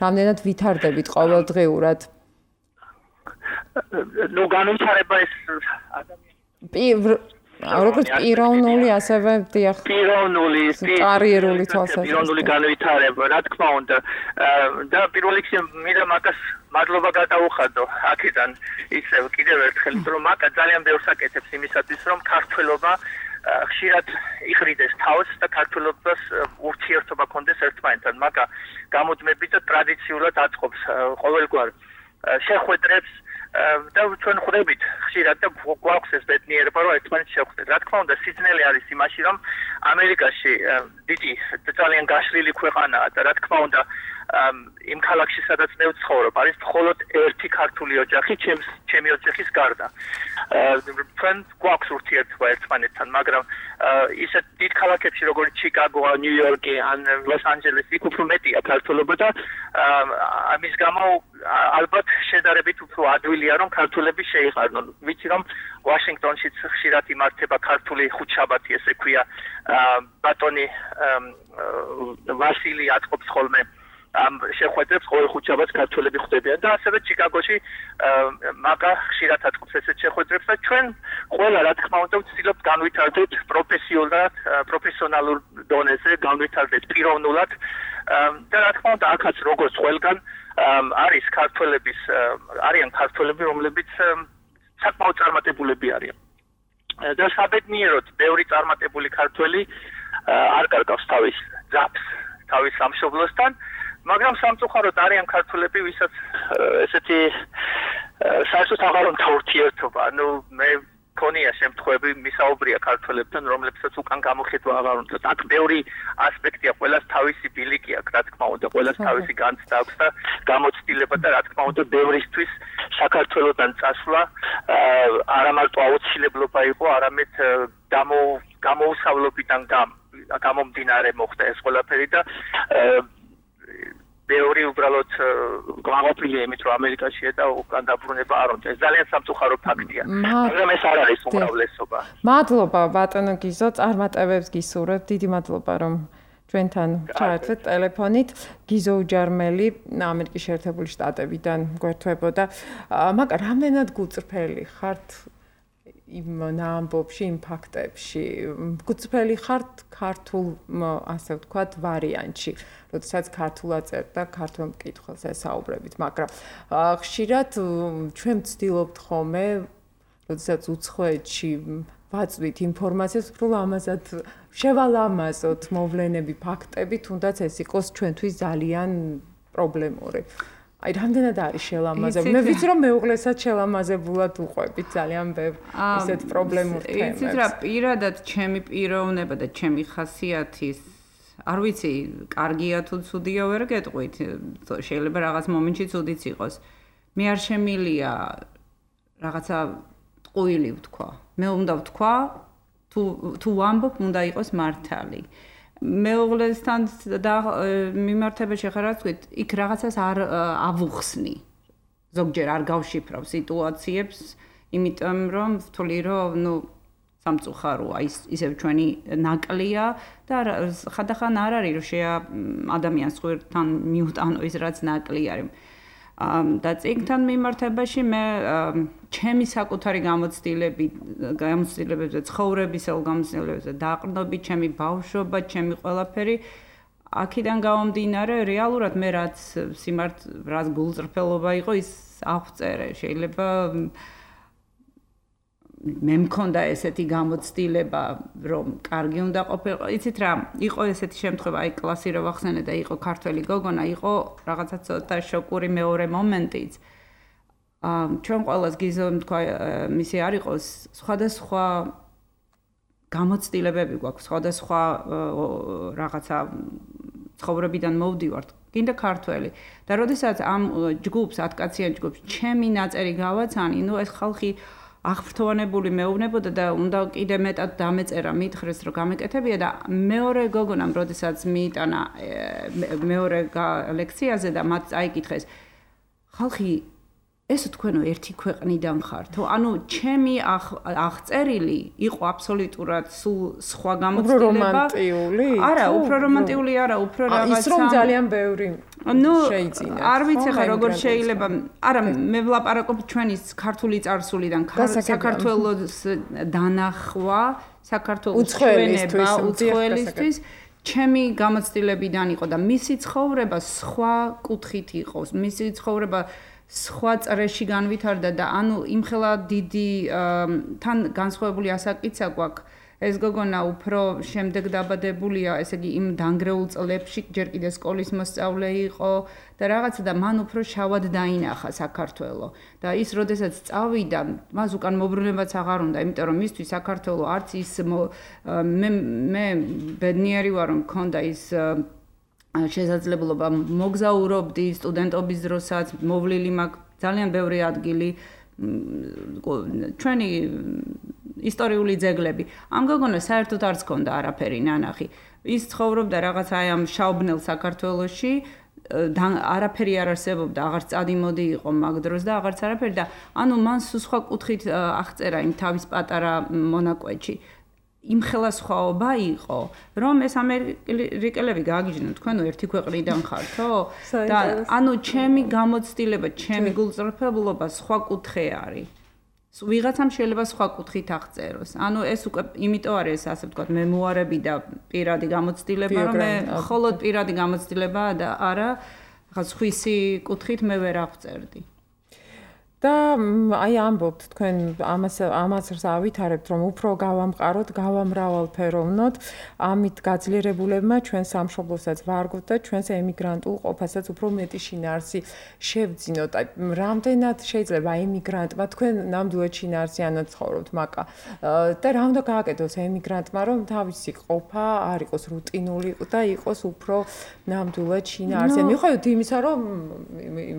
რამდენად ვითარდებით ყოველდღიურად? ნუ განვითარება ეს ადამიანი როგორც პიროვნული, ასევე დიახ. პიროვნული, კარიერული თვალსაზრისით. პიროვნული განვითარება, რა თქმა უნდა. და პირველ რიგში მინდა მაგას მადლობა გადაუხადო აქედან ისევ კიდევ ერთხელ, რომ მაგა ძალიან ბევრს აკეთებს იმისათვის, რომ ქართველობა ხშირად იყრიდეს თავს და ქართველობას ურთიერთობა კონდეს ერთმანეთთან. მაგა გამუდმებით და ტრადიციულად აწყობს ყოველგვარ შეხვედრებს და ჩვენ ხვდებით ხშირად და გვაქვს ეს ბედნიერება, რომ ერთმანეთს შევხვდეთ. რა თქმა უნდა, სიძნელე არის იმაში, რომ ამერიკაში დიდი ძალიან გაშლილი ქვეყანაა და რა თქმა უნდა, იმ ქალაქში სადაც მე ვცხოვრობ, არის მხოლოდ ერთი ქართული ოჯახი, ჩემს ჩემი ოჯახის გარდა. ჩვენ გვაქვს ურთიერთობა ერთმანეთთან, მაგრამ ისეთ დიდ ქალაქებში როგორც ჩიკაგო, ნიუ-იორკი ან ლოს-ანჯელესი იქ უფრო მეტია ქართულობა და ამის გამო ალბათ შედარებით უფრო ადვილია რომ ქართულები შეიყარნონ. ვიცი რომ ვაშინგტონშიც ხშირად იმართება ქართული ხუთშაბათი, ესე ქვია, ბატონი ვასილი აწყობს ხოლმე ამ შეხვედრებს ყოველ ხუთშაბათს ქართველები ხვდებიან და ასევე ჩიკაგოში მაგა ხშირად აწყობს ესეთ შეხვედრებს და ჩვენ ყველა რა თქმა უნდა ვცდილობთ განვითარდეთ პროფესიულად, პროფესიონალურ დონეზე, განვითარდეთ პიროვნულად და რა თქმა უნდა აქაც როგორც ყველგან არის ქართველების არიან ქართველები, რომლებიც საკმაოდ წარმატებულები არიან. და საბედნიეროდ ბევრი წარმატებული ქართველი არ კარგავს თავის ძაფს, თავის სამშობლოსთან, მაგრამ სამწუხაროდ არიან ქართველები, ვისაც ესეთი საერთოდ აღარ უნდა ურთიერთობა. ანუ მე ქონია შემთხვევები მისაუბრია ქართველებთან, რომლებსაც უკან გამოხედვა აღარ უნდა. აქ ბევრი ასპექტია, ყველას თავისი ბილიკი აქვს, რა თქმა უნდა, ყველას თავისი განცდა აქვს და გამოცდილება და რა თქმა უნდა, ბევრისთვის საქართველოსთან წასვლა არა მარტო აუცილებლობა იყო, არამედ გამოუსავლობიდან გამომდინარე მოხდა ეს ყველაფერი და ბევრი უბრალოდ გაყოფილია იმით, რომ ამერიკაშია და უკან დაბრუნება არ უნდა. ეს ძალიან სამწუხარო ფაქტია. მაგრამ ეს არ არის უმრავლესობა. მადლობა ბატონო გიზო, წარმატებებს გისურვებ. დიდი მადლობა რომ ჩვენთან ჩაერთვეთ ტელეფონით. გიზო უჯარმელი ამერიკის შეერთებული შტატებიდან გვერდებოდა. მაგრამ რამდენად გუწრფელი ხართ იმ ნამბობში, იმ ფაქტებში? გუწრფელი ხართ ქართულ, ასე ვთქვათ, ვარიანტში, როდესაც ქართულად წერთ და ქართულ მკითხველს ესაუბრებით, მაგრამ ხშირად ჩვენ ვცდილობთ ხოლმე, როდესაც უცხოეთში ვაწვით ინფორმაციას, უფრო ლამაზად შევალამაზოთ მოვლენები, ფაქტები, თუნდაც ეს იყოს ჩვენთვის ძალიან პრობლემური. აი, რამდენად არის შელამაზებული? მე ვიცი რომ მეუღლესაც შელამაზებულად უყვებით ძალიან ბევრ ისეთ პრობლემურ თემებს. იცით რა, პირადად ჩემი პიროვნება და ჩემი ხასიათის, არ ვიცი, კარგია თუ ცუდია ვერ გეტყვით, შეიძლება რაღაც მომენტში ცუდიც იყოს. მე არ შემილია რაღაცა ტყუილი ვთქვა. მე უნდა ვთქვა, თუ თუ ვამბობ, უნდა იყოს მართალი. მეუღლესთან და მიმართებაში ხარ რაც ვთქვით, იქ რაღაცას არ ავუხსნი. ზოგჯერ არ გავშიფრავ სიტუაციებს, იმიტომ რომ ვთვლი რომ ნუ სამწუხაროა, ის ისევ ჩვენი ნაკლია და ხანდახან არ არის რომ შეა ადამიანს ხვირთან მიუტანო ის რაც ნაკლი არის. და წიგნთან მიმართებაში მე ჩემი საკუთარი გამოცდილები, გამოცდილებებზე, ცხოვრებისელ გამოცდილებებზე, დაყრდნობით, ჩემი ბავშვობა, ჩემი ყველაფერი აქედან გამომდინარე, რეალურად მე რაც სიმართ, რაც გულწრფელობა იყო, ის აღწერე. შეიძლება მე მქონდა ესეთი გამოცდილება, რომ კარგი უნდა ყოფილიყო. იცით რა, იყო ესეთი შემთხვევა, აი კლასი რო ვახსენე და იყო ქართველი გოგონა, იყო რაღაცა ცოტა შოკური მეორე მომენტიც. ჩვენ ყველას გიზომ თქვა მისი არ იყოს სხვადასხვა გამოცდილებები გვაქვს, სხვადასხვა რაღაცა ცხოვრებიდან მოვდივართ, კიდე ქართველი. და როდესაც ამ ჯგუფს, ათკაციან ჯგუფს ჩემი ნაწერი გავაცანი, ნუ ეს ხალხი აღფრთოვანებული მეუბნებოდა და უნდა კიდე მეტად დამეწერა მითხრეს რომ გამეკეთებია და მეორე გოგონამ როდესაც მიიტანა მეორე ლექციაზე და მათ წაიკითხეს ხალხი ესო თქვენო ერთი ქვეყნიდან ხართ ანუ ჩემი აღწერილი იყო აბსოლუტურად სულ სხვა გამოცდილება არა უფრო რომანტიული არა უფრო რაღაცა ის რომ ძალიან ბევრი შეიძინა არ ვიცი ხა როგორ შეიძლება არა მე ვლაპარაკობ ჩვენი ქართული წარსულიდან საქართველოს დანახვა საქართველოს ჩვენება უცხოელისთვის ჩემი გამოცდილებიდან იყო და მისი ცხოვრება სხვა კუთხით იყო მისი ცხოვრება სხვა წრეში განვითარდა და ანუ იმხელა დიდი თან განსხვავებული ასაკიცა გვაქვს ეს გოგონა უფრო შემდეგ დაბადებულია ესე იგი იმ დანგრეულ წლებში ჯერ კიდე სკოლის მოსწავლე იყო და რაღაცა და მან უფრო შავად დაინახა საქართველო და ის როდესაც წავიდა მას უკან მობრუნებაც აღარ უნდა იმიტომ რომ მისთვის საქართველო არც ის მე მე ბედნიერი ვარ რომ მქონდა ის შესაძლებლობა მოგზაურობდი სტუდენტობის დროსაც მოვლილი მაქვს ძალიან ბევრი ადგილი ჩვენი ისტორიული ძეგლები ამ გოგონას საერთოდ არც ჰქონდა არაფერი ნანახი ის ცხოვრობდა რაღაც აი ამ შავბნელ საქართველოში არაფერი არ არსებობდა აღარც წადიმოდი იყო მაგ დროს და აღარც არაფერი და ანუ მან სხვა კუთხით აღწერა იმ თავის პატარა მონაკვეთში იმხელა სხვაობა იყო, რომ ეს ამერიკელები გააგიჟდნენ, თქვენო ერთი ქვეყნიდან ხართო? და ანუ ჩემი გამოცდილება, ჩემი გულწრფელობა სხვა კუთხე არის. ვიღაცამ შეიძლება სხვა კუთხით აღწეროს. ანუ ეს უკვე იმიტომ არის ასე ვთქვათ, მემუარები და პირადი გამოცდილება, რომ მე მხოლოდ პირადი გამოცდილებაა და არა ხა სხვისი კუთხით მე ვერ აღწერდი. და აი ამბობთ თქვენ ამას ამას ავითარებთ რომ უფრო გავამყაროთ, გავამრავალფეროვნოთ, ამით გაძლიერებულებმა ჩვენ სამშობლოსაც ვარგოთ და ჩვენს ემიგრანტულ ყოფასაც უფრო მეტი შინაარსი შევძინოთ. აი რამდენად შეიძლება ემიგრანტმა თქვენ ნამდვილად შინაარსიანად ცხოვრობთ მაკა და რა უნდა გააკეთოს ემიგრანტმა რომ თავისი ყოფა არ იყოს რუტინული და იყოს უფრო ნამდვილად შინაარსიანი. მიუხედავად იმისა რომ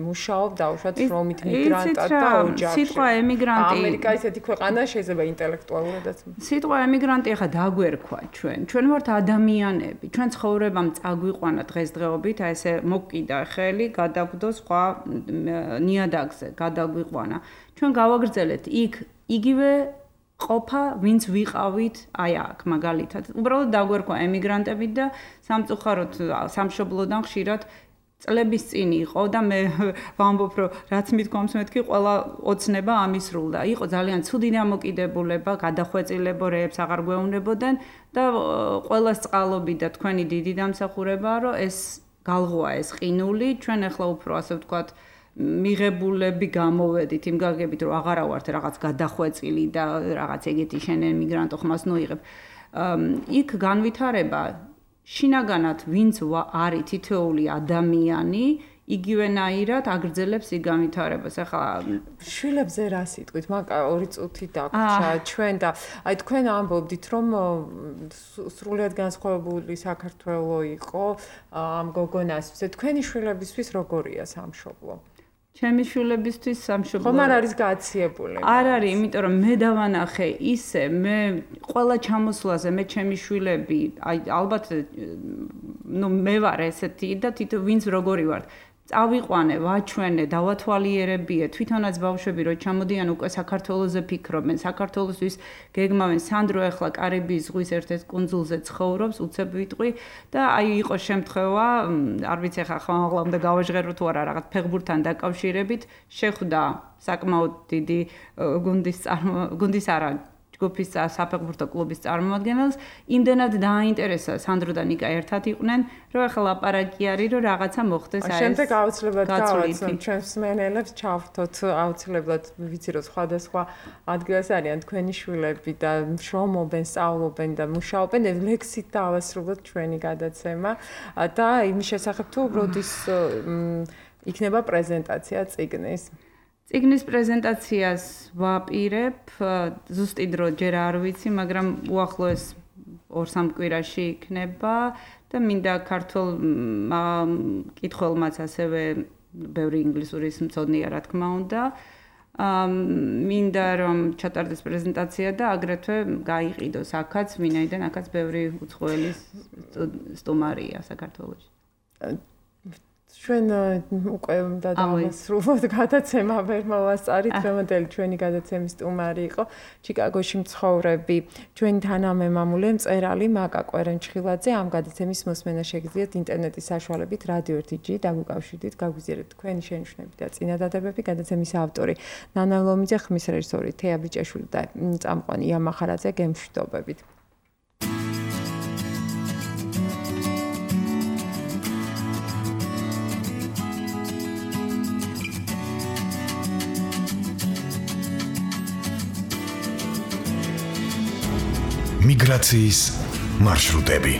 მუშაობ დაუშვათ რომით მიგრანტად სიტყვა ემიგრანტი ამერიკა ისეთი ქვეყანა შეიძლება ინტელექტუალურადაც სიტყვა ემიგრანტი ახლა დაგვერქვა ჩვენ ჩვენ ვართ ადამიანები ჩვენ ცხოვრებამ წაგვიყვანა დღესდღეობით აი ესე მოკიდა ხელი გადაგვდო სხვა ნიადაგზე გადაგვიყვანა ჩვენ გავაგრძელეთ იქ იგივე ყოფა ვინც ვიყავით აი აქ მაგალითად უბრალოდ დაგვერქვა ემიგრანტები და სამწუხაროდ სამშობლოდან ხშირად წლების წინ იყო და მე ვამბობ რომ რაც მithქვამს მეთქი ყველა ოცნება ამისრულდა. იყო ძალიან ცუდი დამოკიდებულება, გადახვეწილებორეებს აღარ გვეუბნებოდნენ და ყველას წყალობი და თქვენი დიდი დამსახურებაა რომ ეს გალღოა ეს ყინული, ჩვენ ახლა უფრო ასე ვთქვათ მიღებულები გამოვედით იმ გაგებით რომ აღარა ვართ რაღაც გადახვეწილი და რაღაც ეგეთი შენ ემიგრანტო ხმას ნოიღებ. იქ განვითარება შინაგანად ვინც არის თითოეული ადამიანი იგივენაირად აგრძელებს იქ განვითარებას. ახლა შვილებზე რა სიტყვით? მაკა ორი წუთი დაგვრჩა ჩვენ და აი თქვენ ამბობდით რომ სრულიად განსხვავებული საქართველო იყო ამ გოგონასთვის. თქვენი შვილებისთვის როგორია სამშობლო? ჩემი შვილებისთვის სამშობლო ხომ არ არის გაციებული? არ არის, იმიტომ რომ მე დავანახე ისე, მე ყველა ჩამოსვლაზე მე ჩემი შვილები, აი ალბათ ნუ მე ვარ ესეთი და თითო ვინც როგორი ვარ. წავიყვანე, ვაჩვენე, დავათვალიერებიე, თვითონაც ბავშვები რო ჩამოდიან უკვე საქართველოზე ფიქრობენ, საქართველოსთვის გეგმავენ. სანდრო ახლა კარიბის ზღვის ერთ-ერთ კუნძულზე ცხოვრობს, უცებ ვიტყვი და აი იყო შემთხვევა, არ ვიცი ახლა ხმაღლა უნდა გავაჟღერო თუ არა რაღაც ფეხბურთთან დაკავშირებით, შეხვდა საკმაოდ დიდი გუნდის გუნდის არა ჯგუფის საფეხბურთო კლუბის წარმომადგენელს იმდენად დააინტერესა სანდრო და ნიკა ერთად იყვნენ, რომ ახლა ლაპარაკი არის, რომ რაღაცა მოხდეს აი ეს. შემდეგ აუცილებლად გავაცნობ ჩვენს მენელებს ჩავრთოთ აუცილებლად ვიცი რომ სხვადასხვა ადგილას არიან თქვენი შვილები და შრომობენ, სწავლობენ და მუშაობენ, ლექსით დავასრულოთ ჩვენი გადაცემა და იმის შესახებ თუ როდის იქნება პრეზენტაცია წიგნის. წიგნის პრეზენტაციას ვაპირებ, ზუსტი დრო ჯერ არ ვიცი, მაგრამ უახლოეს ორ-სამ კვირაში იქნება და მინდა ქართულ კითხველმაც ასევე ბევრი ინგლისურის მცოდნეა, რა თქმა უნდა. მინდა რომ ჩატარდეს პრეზენტაცია და აგრეთვე გაიყიდოს აქაც, ვინაიდან აქაც ბევრი უცხოელი სტუმარია საქართველოში. ჩვენ უკვე უნდა დავასრულოთ გადაცემა ვერ მოვასწარით, დღევანდელი ჩვენი გადაცემის სტუმარი იყო ჩიკაგოში მცხოვრები ჩვენი თანამემამულე მწერალი მაკა კვერენჩხილაძე. ამ გადაცემის მოსმენა შეგიძლიათ ინტერნეტის საშუალებით რადიო ერთი ჯი დაგვიკავშირდით, გაგვიზიარებთ თქვენი შენიშვნები და წინადადებები. გადაცემის ავტორი ნანა ლომიძე, ხმის რეჟისორი თეა ბიჭაშვილი და წამყვანი ია მახარაძე. გემშვიდობებით. მიგრაციის მარშრუტები